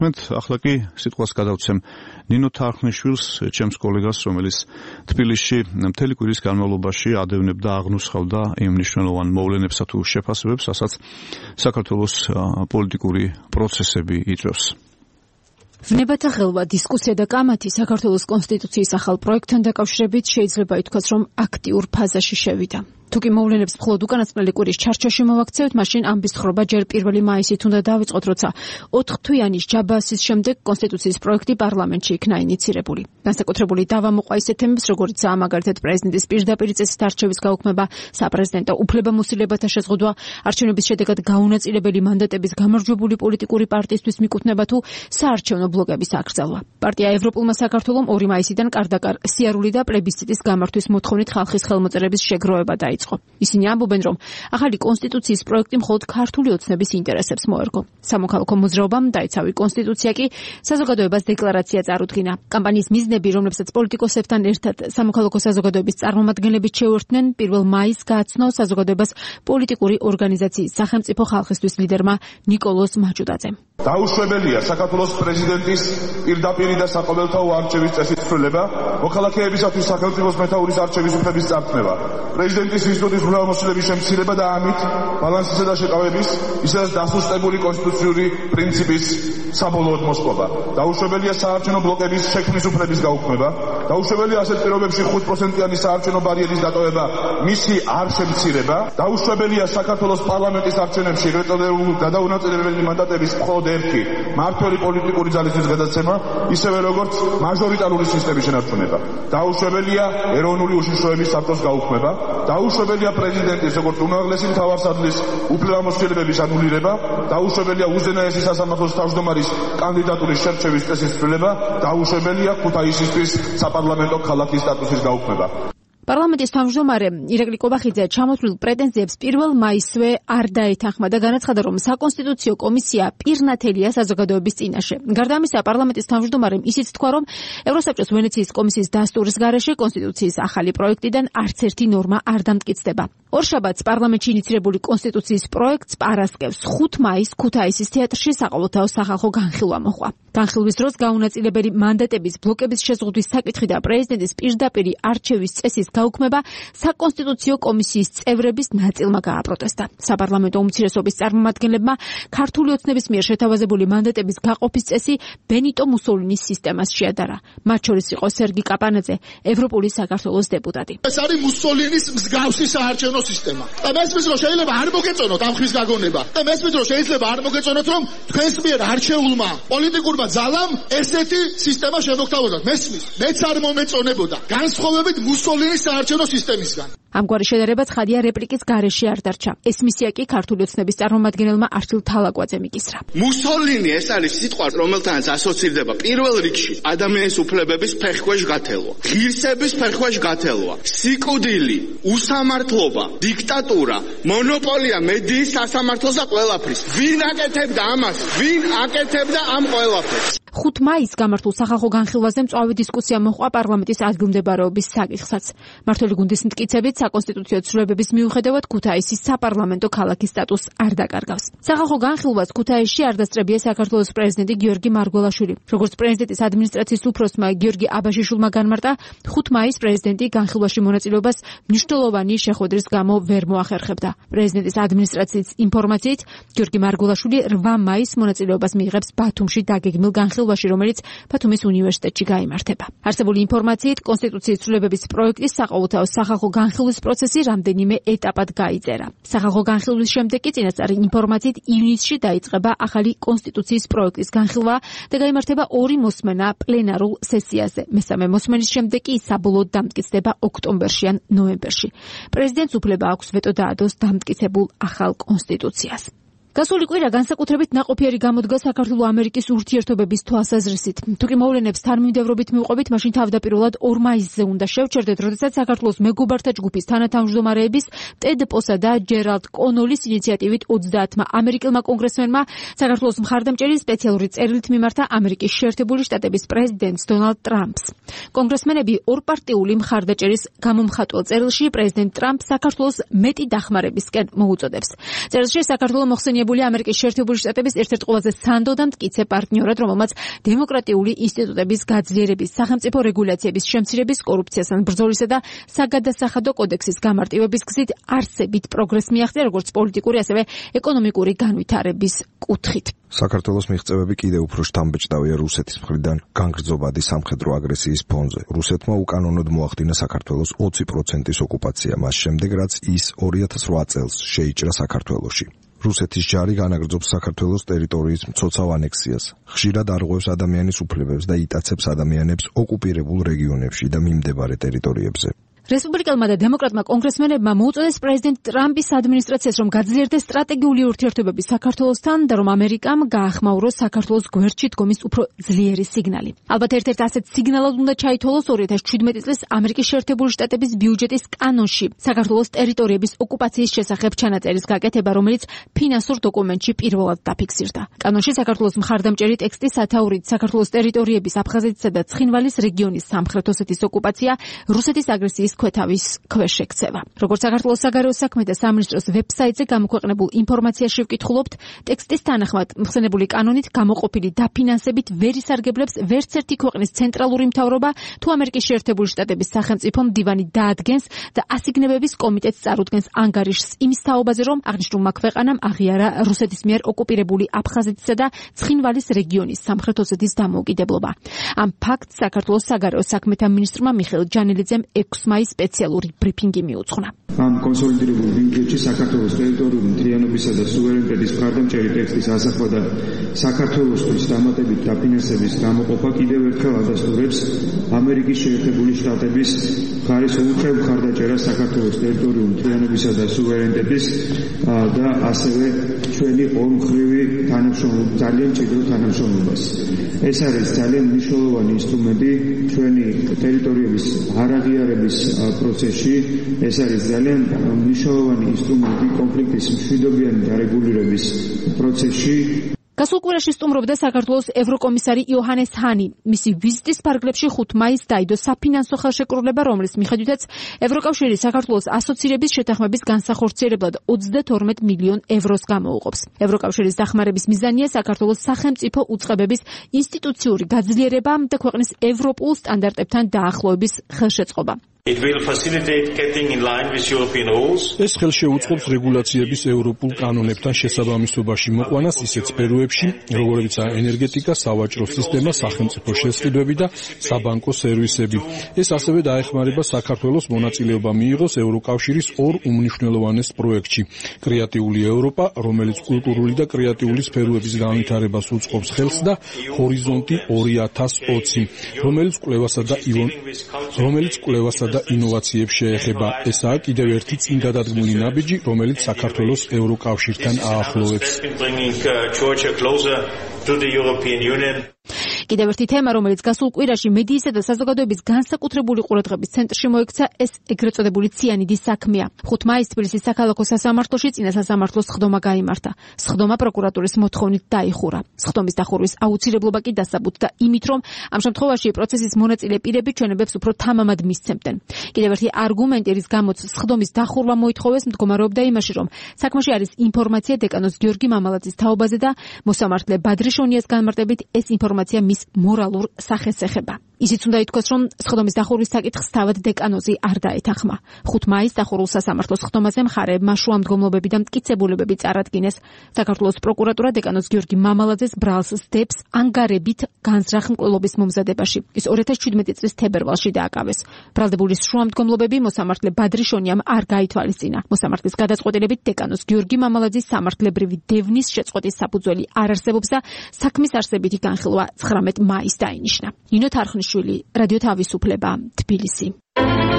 მოგესმენთ, ახლა კი სიტყვას გადავცემ ნინო თარხნიშვილს, ჩემს კოლეგას, რომელიც თბილისში მთელი კვირის განმავლობაში ადევნებდა, აღნუსხავდა იმ მნიშვნელოვან მოვლენებსა თუ შეფასებებს, რასაც საქართველოს პოლიტიკური პროცესები იწვევს. ვნებათა ხელვა, დისკუსია და კამათი საქართველოს კონსტიტუციის ახალ პროექტთან დაკავშირებით შეიძლება ითქვას, რომ აქტიურ ფაზაში შევიდა. თუკი მოვლენებს მხოლოდ უკანასკნელი კვირის ჩარჩოში მოვაქცევთ, მაშინ ამბის თხრობა ჯერ 1 მაისით უნდა დავიწყოთ, როცა 4 თვიანი ჯაბასის შემდეგ კონსტიტუციის პროექტი პარლამენტში იქნა ინიცირებული. განსაკუთრებული დავა მოყვა ისეთ თემებს, როგორიცაა მაგალითად პრეზიდენტის პირდაპირ წესით არჩევის გაუქმება, საპრეზიდენტო უფლებამოსილებათა შეზღუდვა, არჩევნების შედეგად გაუნაწილებელი მანდატების გამარჯვებული პოლიტიკური პარტიისთვის მიკუთვნება თუ საარჩევნო ბლოკების აკრძალვა. პარტია ევროპულმა საქართველომ 2 მაისიდან კარდაკარ სიარული და პლებისციტის გამართვის მოთხოვნით ხალხის ხელმოწერების შეგროვება დაიწყო. ისინი ამბობენ, რომ ახალი კონსტიტუციის პროექტი მხოლოდ ქართული ოცნების ინტერესებს მოერგო. სამოქალაქო მოძრაობამ დაიცავი კონსტიტუცია კი საზოგადოებას დეკლარაცია წარუდგინა. კამპანიის მიზნები, რომლებსაც პოლიტიკოსებთან ერთად სამოქალაქო საზოგადოების წარმომადგენლებიც შეუერთდნენ, 1 მაისს გააცნო საზოგადოებას პოლიტიკური ორგანიზაციის სახელმწიფო ხალხისთვის ლიდერმა ნიკოლოზ მაჭუტაძემ. დაუშვებელია საქართველოს პრეზიდენტის პირდაპირი და საყოველთაო არჩევის წესის ცვლილება, მოქალაქეებისათვის სახელმწიფოს მეთაურის არჩევის უფლების წარქმევა, პრეზიდენტის ინსტიტუტის უფლებამოსილების შემცირება და ამით ბალანსისა და შეკავების, ისედაც დასუსტებული კონსტიტუციური პრინციპის საბოლოოდ მოსპობა. დაუშვებელია საარჩევნო ბლოკების შექმნის უფლების გაუქმება, დაუშვებელია ასეთ პირობებში 5%-იანი საარჩევნო ბარიერის დატოვება, მისი არ შემცირება, დაუშვებელია საქართველოს პარლამენტის არჩევნებში გადაუნაწილებელი მანდატების მხოლოდ ერთი მმართველი პოლიტიკური ძალისთვის გადაცემა, ისევე როგორც მაჟორიტარული სისტემის შენარჩუნება. დაუშვებელია ეროვნული უშიშროების საბჭოს გაუქმება, დაუშვებელია პრეზიდენტის როგორც უმაღლესი მთავარსარდლის უფლებამოსილებების ანულირება, დაუშვებელია უზენაესი სასამართლოს თავმჯდომარის კანდიდატურის შერჩევის წესის ცვლილება, დაუშვებელია ქუთაისისთვის საპარლამენტო ქალაქის სტატუსის გაუქმება. პარლამენტის თავმჯდომარე ირაკლი კობახიძე ჩამოთვლილ პრეტენზიებს 1 მაისვე არ დაეთანხმა და განაცხადა, რომ საკონსტიტუციო კომისია პირნათელია საზოგადოების წინაშე. გარდა ამისა, პარლამენტის თავმჯდომარემ ისიც თქვა, რომ ევროსაბჭოს ვენეციის კომისიის დასტურის გარეშე კონსტიტუციის ახალი პროექტიდან არც ერთი ნორმა არ დამტკიცდება. ორშაბათს პარლამენტში ინიცირებული კონსტიტუციის პროექტს პარასკევს 5 მაისს ქუთაისის თეატრში საყოველთაო სახალხო განხილვა მოჰყვა. განხილვის დროს გაუნაწილებელი მანდატების ბლოკების შეზღუდვის საკითხი და პრეზიდენტის პირდაპირი არჩევის წესის გაუქმება საკონსტიტუციო კომისიის წევრების ნაწილმა გააპროტესტა. საპარლამენტო უმცირესობის წარმომადგენლებმა ქართული ოცნების მიერ შეთავაზებული მანდატების გაყოფის წესი ბენიტო მუსოლინის სისტემას შეადარა. მათ შორის იყო სერგი კაპანაძე, ევროპული საქართველოს დეპუტატი. ეს არის მუსოლინის მსგავსი საარჩევნო სისტემა. და მესმის რომ შეიძლება არ მოგეწონოთ ამ ხის გაგონება. და მესმის რომ შეიძლება არ მოგეწონოთ რომ თქვენს მიერ არჩეულმა პოლიტიკურმა ძალამ ესეთი სისტემა შემოგთავაზოთ. მესმის, მეც არ მომეწონებოდა. განსხვავებით მუსოლინის საარჩევნო სისტემისგან. ამგვარი შედარება ცხადია რეპლიკის გარეშე არ დარჩა. ეს მისია კი ქართული ოცნების წარმომადგენელმა არჩილ თალაკვაძემ იკისრა. მუსოლინი ეს არის სიტყვა, რომელთანაც ასოცირდება პირველ რიგში ადამიანის უფლებების ფეხქვეშ გათელვა, ღირსების ფეხქვეშ გათელვა, სიკვდილი, უსამართლობა, დიქტატურა, მონოპოლია მედიის სასამართლოს და ყველაფრის. ვინ აკეთებდა ამას? ვინ აკეთებდა ამ ყველაფერს? 5 მაისს გამართულ სახალხო განხილვაზე მწვავე დისკუსია მოჰყვა პარლამენტის ადგილმდებარეობის საკითხსაც. მმართველი გუნდის მტკიცებით, საკონსტიტუციო ცვლილებების მიუხედავად ქუთაისის საპარლამენტო ქალაქის სტატუსს არ დაკარგავს. სახალხო განხილვას ქუთაისში არ დასწრებია საქართველოს პრეზიდენტი გიორგი მარგველაშვილი. როგორც პრეზიდენტის ადმინისტრაციის უფროსმა გიორგი აბაშიშვილმა განმარტა, 5 მაისს პრეზიდენტი განხილვაში მონაწილეობას მნიშვნელოვანი შეხვედრის გამო ვერ მოახერხებდა. პრეზიდენტის ადმინისტრაციის ინფორმაციით, გიორგი მარგველაშვილი 8 მაისს მონაწილეობას მიიღებს ბათუმში დაგეგმილ განხილვაში, რომელიც ბათუმის უნივერსიტეტში გაიმართება. არსებული ინფორმაციით, კონსტიტუციის ცვლილებების პროექტის საყოველთაო სახალხო განხილვის პროცესი რამდენიმე ეტაპად გაიწერა. სახალხო განხილვის შემდეგ კი წინასწარი ინფორმაციით ივნისში დაიწყება ახალი კონსტიტუციის პროექტის განხილვა და გაიმართება 2 მოსმენა პლენარულ სესიაზე. მესამე მოსმენის შემდეგ კი საბოლოოდ დამტკიცდება ოქტომბერში ან ნოემბერში. პრეზიდენტს უფლება აქვს ვეტო დაადოს დამტკიცებულ ახალ კონსტიტუციას. გასული კვირა განსაკუთრებით ნაყოფიერი გამოდგა საქართველო-ამერიკის ურთიერთობების თვალსაზრისით. თუკი მოვლენებს თანმიმდევრობით მივყვებით, მაშინ თავდაპირველად 2 მაისზე უნდა შევჩერდეთ, როდესაც საქართველოს მეგობართა ჯგუფის თანათავმჯდომარეების ტედ პოსა და ჯერალდ კონოლის ინიციატივით 30-მა ამერიკელმა კონგრესმენმა საქართველოს მხარდამჭერი სპეციალური წერილით მიმართა ამერიკის შეერთებული შტატების პრეზიდენტს დონალდ ტრამპს. კონგრესმენები ორპარტიული მხარდაჭერის გამომხატველ წერილში პრეზიდენტ ტრამპს საქართველოს მეტი დახმარებისკენ მოუწოდებს. წერილში საქართველო მოხსენია აღიარებულია ამერიკის შეერთებული შტატების ერთ-ერთ ყველაზე სანდო და მტკიცე პარტნიორად, რომელმაც დემოკრატიული ინსტიტუტების გაძლიერების, სახელმწიფო რეგულაციების შემცირების, კორუფციასთან ბრძოლისა და საგადასახადო კოდექსის გამარტივების გზით არსებით პროგრესს მიაღწია როგორც პოლიტიკური, ასევე ეკონომიკური განვითარების კუთხით. საქართველოს მიღწევები კიდევ უფრო შთამბეჭდავია რუსეთის მხრიდან განგრძობადი სამხედრო აგრესიის ფონზე. რუსეთმა უკანონოდ მოახდინა საქართველოს 20%-ის ოკუპაცია, მას შემდეგ რაც ის 2008 წელს შეიჭრა საქართველოში. რუსეთის ჯარი განაგრძობს საქართველოს ტერიტორიის მცოცავ ანექსიას, ხშირად არღვევს ადამიანის უფლებებს და იტაცებს ადამიანებს ოკუპირებულ რეგიონებში და მიმდებარე ტერიტორიებზე. რესპუბლიკელმა და დემოკრატმა კონგრესმენებმა მოუწოდეს პრეზიდენტ ტრამპის ადმინისტრაციას, რომ გაძლიერდეს სტრატეგიული ურთიერთობები საქართველოსთან და რომ ამერიკამ გაახმაუროს საქართველოს გვერდში დგომის უფრო ძლიერი სიგნალი. ალბათ ერთ-ერთ ასეთ სიგნალად უნდა ჩაითვალოს 2017 წლის ამერიკის შეერთებული შტატების ბიუჯეტის კანონში საქართველოს ტერიტორიების ოკუპაციის შესახებ ჩანაწერის გაკეთება, რომელიც ფინანსურ დოკუმენტში პირველად დაფიქსირდა. კანონში საქართველოს მხარდამჭერი ტექსტი სათაურით საქართველოს ტერიტორიების აფხაზეთისა და ცხინვალის რეგიონის სამხრეთ ოსეთის ოკუპაცია რუსეთის აგრესიის ქვეთავის ქვეშ ექცევა. როგორც საქართველოს საგარეო საქმეთა სამინისტროს ვებსაიტზე გამოქვეყნებულ ინფორმაციაში ვკითხულობთ, ტექსტის თანახმად მხსენებული კანონით გამოყოფილი დაფინანსებით ვერ ისარგებლებს ვერც ერთი ქვეყნის ცენტრალური მთავრობა, თუ ამერიკის შეერთებული შტატების სახელმწიფო მდივანი დაადგენს და ასიგნებების კომიტეტს წარუდგენს ანგარიშს იმის თაობაზე, რომ აღნიშნულმა ქვეყანამ აღიარა რუსეთის მიერ ოკუპირებული აფხაზეთისა და ცხინვალის რეგიონის სამხრეთ ოსეთის დამოუკიდებლობა. ამ ფაქტს საქართველოს საგარეო საქმეთა მინისტრმა მიხეილ ჯანელიძემ 6 მაისს სპეციალური ბრიფინგი მიუძღვნა. ამ კონსოლიდირებულ ბიუჯეტში საქართველოს ტერიტორიული მთლიანობისა და სუვერენიტეტის მხარდამჭერი ტექსტის ასახვა და საქართველოსთვის დამატებით დაფინანსების გამოყოფა კიდევ ერთხელ ადასტურებს ამერიკის შეერთებული შტატების მხარის უწევ მხარდაჭერას საქართველოს ტერიტორიული მთლიანობისა და სუვერენიტეტის და ასევე ჩვენი ორმხრივი თანამშრომლობა, ძალიან მჭიდრო თანამშრომლობას. ეს არის ძალიან მნიშვნელოვანი ინსტრუმენტი ჩვენი ტერიტორიების არაღიარების პროცესში. ეს არის ძალიან მნიშვნელოვანი ინსტრუმენტი კონფლიქტის მშვიდობიანი დარეგულირების პროცესში. გასულ კვირაში სტუმრობდა საქართველოს ევროკომისარი იოჰანეს ჰანი. მისი ვიზიტის ფარგლებში 5 მაისს დაიდო საფინანსო ხელშეკრულება, რომლის მიხედვითაც ევროკავშირი საქართველოს ასოცირების შეთანხმების განსახორციელებლად 22 მილიონ ევროს გამოუყოფს. ევროკავშირის დახმარების მიზანია საქართველოს სახელმწიფო უწყებების ინსტიტუციური გაძლიერება და ქვეყნის ევროპულ სტანდარტებთან დაახლოების ხელშეწყობა. It will facilitate getting in line with European rules. ეს ხელშეუწყობს რეგულაციების ევროპულ კანონებთან შესაბამისობაში მოყვანას ისეთ სფეროებში, როგორებიცაა ენერგეტიკა, სავაჭრო სისტემა, სახელმწიფო შესყიდვები და საბანკო სერვისები. ეს ასევე დაეხმარება საქართველოს მონაწილეობა მიიღოს ევროკავშირის 2 უმნიშვნელოვანეს პროექტში: კრეატიული ევროპა, რომელიც კულტურული და კრეატიული სფეროების განვითარებას უწყობს ხელს და ჰორიზონტი 2020, რომელიც კვლევასა და ინოვაციებს შეეხება. ესაა კიდევ ერთი წინ გადადგმული ნაბიჯი, რომელიც საქართველოს ევროკავშირთან აახლოვებს. კიდევ ერთი თემა, რომელიც გასულ კვირაში მედიისა და საზოგადოების განსაკუთრებული ყურადღების ცენტრში მოექცა, ეს ეგრეთ წოდებული ციანიდის საქმეა. 5 მაისს თბილისის საქალაქო სასამართლოში წინა სასამართლოს სხდომა გაიმართა. სხდომა პროკურატურის მოთხოვნით დაიხურა. სხდომის დახურვის აუცილებლობა კი დასაბუთდა იმით, რომ ამ შემთხვევაში პროცესის მონაწილე პირები ჩვენებებს უფრო თამამად მისცემდნენ. კიდევ ერთი არგუმენტი, რის გამოც სხდომის დახურვა მოითხოვეს, მდგომარეობდა იმაში, რომ საქმეში არის ინფორმაცია დეკანოს გიორგი მამალაძის თაობაზე და მოსამართლე ბადრიშონიას განმარტებით ეს ინფორმაცია მის მორალურ სახეს ეხება. ისიც უნდა ითქვას, რომ სხდომის დახურვის საკითხს თავად დეკანოზი არ დაეთანხმა. 5 მაისს დახურულ სასამართლოს სხდომაზე მხარეებმა შუამდგომლობები და მტკიცებულებები წარადგინეს. საქართველოს პროკურატურა დეკანოზ გიორგი მამალაძეს ბრალს სდებს ანგარებით განზრახ მკვლელობის მომზადებაში. ის 2017 წლის თებერვალში დააკავეს. ბრალდებული შუამდგომლობები მოსამართლე ბადრიშონიამ არ გაითვალისწინა. მოსამართლის გადაწყვეტილებით დეკანოზ გიორგი მამალაძის სამართლებრივი დევნის შეწყვეტის საფუძველი არ არსებობს და საქმის არსებითი განხილვა 19 მაისს დაინიშნა. ნინო თარხნიშვილი, რადიო თავისუფლება, თბილისი.